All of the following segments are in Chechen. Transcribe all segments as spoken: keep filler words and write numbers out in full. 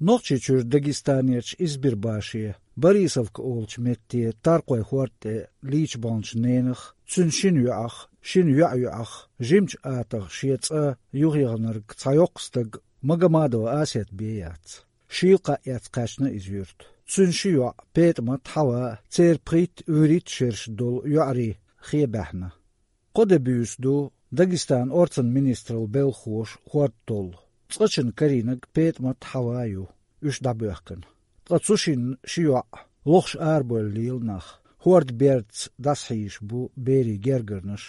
Нохчийчуьра Дагестанерчу Избербаше, Борисовка олучу метте Таркхойн хӀорда тӀе лийча баханчу ненах, цуьнан шина йоӀах, шина йоӀан йоӀах, жимачу атагӀа шен цӀа юхаяханарг цхьа йоккха стаг Магомадова Асет бен яц. Шийла кхаъ эцна кхаьчна иза юьрта. Цуьнан ши йоӀ, ПетӀамат, Хьава, церан пхийтта, вуьрхӀитта шераш долу йоӀарий хен баьхна. Кхо де буьйса ду Дагестанан орцан министраллин белхахоша хӀорд толлу. Цкъачунна карийнарг ПетӀамат, Хьава ю, уьш дӀабоьхкина. Ткъа цу шинна ши йоӀ лохуш арабевлла лела нах. ХӀордан бердаца дӀасахьийзаш бу берийн гергарнаш.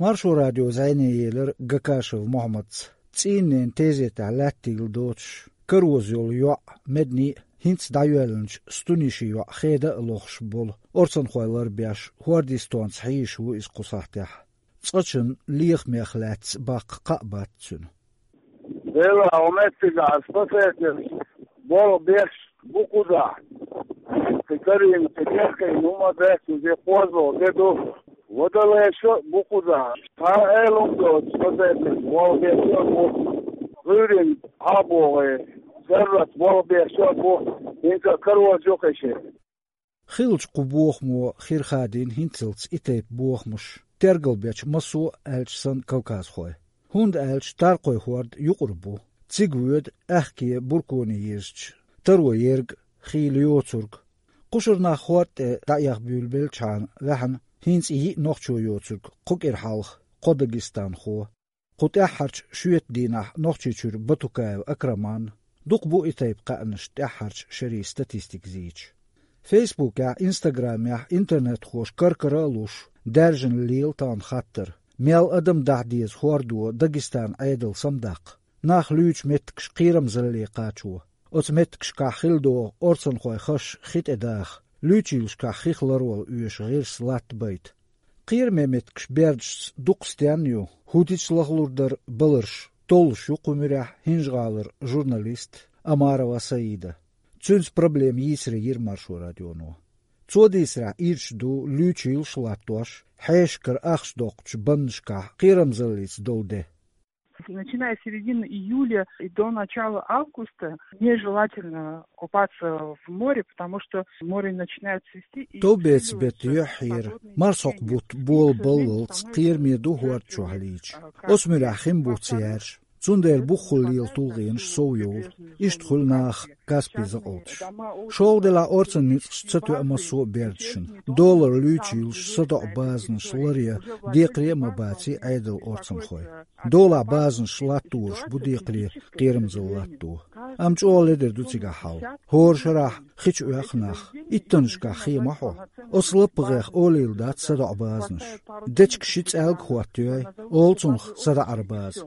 Маршо радион зӀене елира Гакашев Мохьмадца, цӀийнан ненан тезетехь лаьттийла доцуш, кароза йолу йоӀ Медни а, хӀинца дӀайоьллинчу Стунишин йоӀ Хеда а лохуш болу орцанхой ларбеш, хӀордистонца хьийзаш ву иза кху сахьтехь. Цкъачунна лехамех лаьцна баккха кхаъ бац цуьнан. Делахь, хӀун меттиг ахь спасатель болх беш бу кхузахь? Кхин карийна, кхин дехкийна хӀума дац, уьш кхозлагӀа де ду. Вадалеша а бу кхузахь. Цхьа а эла хӀума доцуш, спасатель болх беш а бу. ГӀуьйрина хьа а богӀий, саррат болх беш а бу. ХӀинца а кароза ю кхин шен. Хиллачу кху бохамо хир хадийна хӀинццалц и тайпа бохамаш, тергалбечу массо а аьлча санна кавказхойн. ХӀунда аьлча Таркхойн хӀорд юкъара бу. Цига воьду аьхке бурконе йирзича, таро ерг а, хийла йоцург а. Кхушара нах хӀорда тӀе дӀаэха буьйлабеллачхьана ваьхьна, хӀинца йиъ нохчо йоцург кху кӀира хьалха кхо дагестанхо. Кху тӀаьххьарчу шоьтан дийнахь Нохчийчуьра Батукаев Акраман, дукха бу и тайпа кхаьънаш тӀаьххьарчу шерийн статистика зийча. Фейсбукехь, Инстаграмехь интернетхоша кар-кара а луш, даьржина лела тахана хаттар, мел адам дахьа деза хӀордо Дагестанан Ӏедал самадаккха, нах луьйчу меттигаш кхерамзалле кхачо, оцу меттигашкахь хилла догӀу орцанхойн хаза хи тӀедаха, луьйчийлашкахь хих ларвала оьшу гӀирс латтабайта. Кхераме меттигаш бердашца дукха стенна ю, хӀун дича лахлур дара баларш, толлуш ю кху муьрехь ХӀинжа-ГӀалара журналист Омарова Саида. Цуьнца проблема йийцаре йира Маршо радионо. Цо дийцарехь, ирча ду луьйчийлаш а латтош, хьешашкара ахча доккхучу баннашкахь кхерамзаллица долу де. Начиная с середины июля и до начала августа нежелательно купаться в море, потому что море начинает цвести, и Товбеца беттан юьхьера, марсхьокху бутт болабаллалц кхераме ду хӀорда чохь лийча. Оцу муьрехь хин буц яьржа, цундела бухахула лела тулгӀенаш сов йовлу. Иштта хуьлу наха Каспий закъалташ. ШолгӀа делахь, орцан ницкъаш ца тоьа массо а бердашна. Долара луьйчийлаш, садоӀу базанаш ларъян декхаре а ма баций Ӏедалан орцанхой. Долахь базанаш латтораш бу декхаре кхерамзалла латто. Амма чӀогӀа ледара ду цигахь хьал. ХӀора шарахь хи чу оьху нах. Иттаннашкахь хе ма хьо. Оцу лаппагӀех олийла дац садоӀу базанаш. Дечка ши цӀаьлга хӀоттайой, олу цунах садаӀаран база.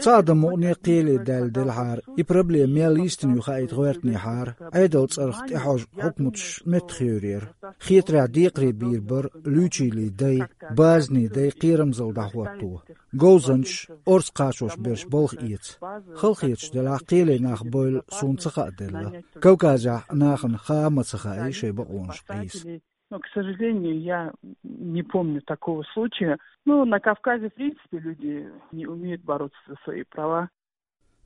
Цхьа адам мукъане кхеле даьлла делахьара, и проблема мел йистина ю хаийта гӀоьртинехьара, Ӏедалан цӀарах тӀехьожу хьукматаш меттахъевр яра. Хетарехь, декхаре бийр бара луьйчийлий дай, базанийн дай кхерамзалла дӀахӀотто. Говзанчаш, орца кхачош берш балха эца. Халахеташ делахь, кхеле нах бевлла суна ца хааделла. Кавказехь нахана хаа а ма ца хаьий шайн бакъонаш къийса. Но, к сожалению, я не помню такого случая. Ну, на Кавказе, в принципе, люди не умеют бороться за свои права.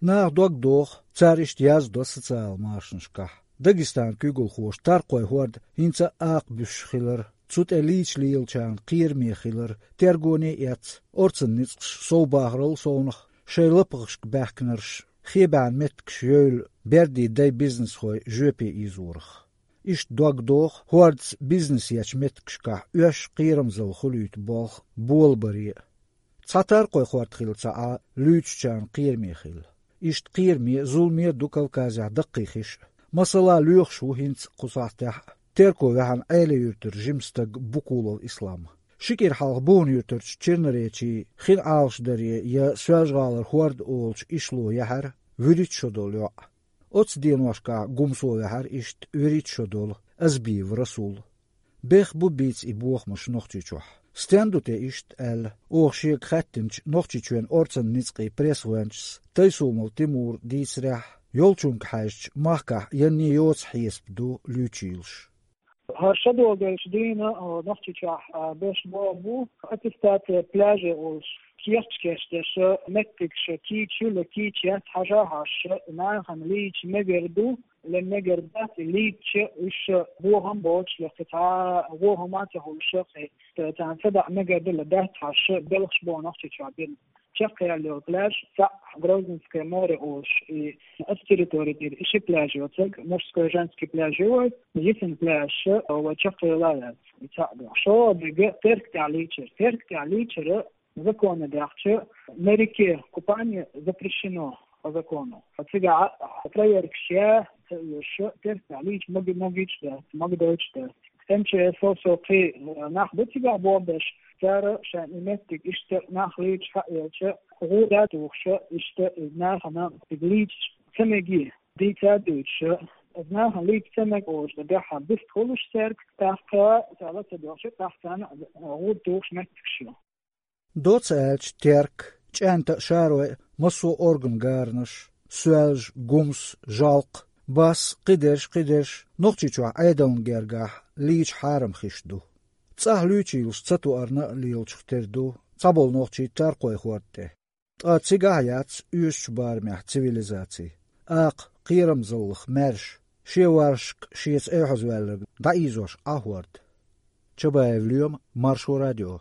Наха дог доху, цара иштта яздо социалан машанашкахь. Дагестанан куьйгалхоша Таркхойн хӀорд хӀинца а акха буьсуш хилар, цу тӀе лийча лелачарна кхераме хилар тергоне а эцна, орцан ницкъаш совбахарал совнах, шайн лапахашка баьхкинарш, хебаьхьна меттигаш евлла, бердийн дай бизнесхой жоьпе ийзорах. Иштта дог доху хӀордаца бизнес ечу меттигашкахь оьшшуш кхерамзалла хуьлуьйту болх болабаре а. Цхьа Таркхойн хӀорд хилла ца Ӏа, луьйчучарна кхераме хилла. Иштта кхераме а, зуламе а ду Кавказехь даккхий хиш а. Масала, лоьхуш ву хӀинца кху сахьтехь а Терко ваьхьна Ӏела-Юьртара жима стаг Букулов Ислам. Ши кӀира хьалха Бухан-Юьртарчу Черноречий хин Ӏалашдаре я Соьлжа-ГӀалара хӀорд олучу ишло яьхьира вуьрхӀитта шо долу йоӀ. Оцу деношкахь Гумсо ваьхьира иштта вуьрхӀитта шо долу Азбиев Расул. Бех бу бийца и бохамаш Нохчийчохь. Стен ду те иштта аьлла, оха шега хаьттинчу Нохчийчоьнан орцан ницкъийн пресс-гӀоьнчас Тайсумов Тимура дийцарехь, йолчунга хьаьжча, махкахь янне йоцу хьесап ду луьйчийлаш. ХӀара шадолу долчу дийна, а, Нохчийчохь, а, беш боху бу аттестация пляжей олуш. кехаташ кечдеш, меттигаш кийча ю, кийча яц хьажа хьожуш, нахана лийча мегар ду, ле мегар дац, лийча уьш бохам боцуш, ле кхин цхьа вон хӀума а ца хуьлуш, кхин царна садаӀа мегар ду, ле дац хьожуш, белхаш бу Нохчийчохь бина. Чекхъяьлла йолу пляж, цхьаъ Грозненское море олуш, и оцу территори тӀера и ши пляж йоцург, мужской, женский пляж ю вай, йисина пляж, вай чекхъяьлла яц, и цхьаъ ду. ШолгӀа дерг Терк тӀехь лийчар. Терк тӀехь лийчар законе даьхча, на реке купание запрещено по закону. Цигахь проверкаш ян ца оьшуш, Терк тӀехь лийча мага-, магийча дац, магадойтуш дац. М Ч С со кхин нах бу цигахь болх беш, цара шайн и меттиг иштта нах лийча хьаелча, гӀуда а тухуш, иштта иза нахана цига лийча ца меге, дийца а дуьйцуш, иза нахана лийча ца мега олуш, дан дуьххьара вист хуьлуш цаьрга, тӀаккха цара ла ца доьхуш, тӀаккха царна гӀуда тухуш меттигаш ю. Доцца аьлча, Терк, ЧӀаьнта а, Шарой а, массо а орган гаранаш, Соьлжа, Гумс, Жалкх, Басса, кхидерш, кхидерш, Нохчийчохь Ӏедална гергахь лийча хьарам хиш ду. ЦӀахь луьйчийлаш ца тоарна а лелачух тера ду цхьаболу нохчий Таркхойн хӀорда тӀе. Ткъа цигахь а яц оьшучу барамехь цивилизаци. Акха, кхерамзаллах маьрша, шен варшашка шеца эхьазваьлларг дӀаийзош Ӏа хӀорда. Чабаев Лоьма, Маршо радио.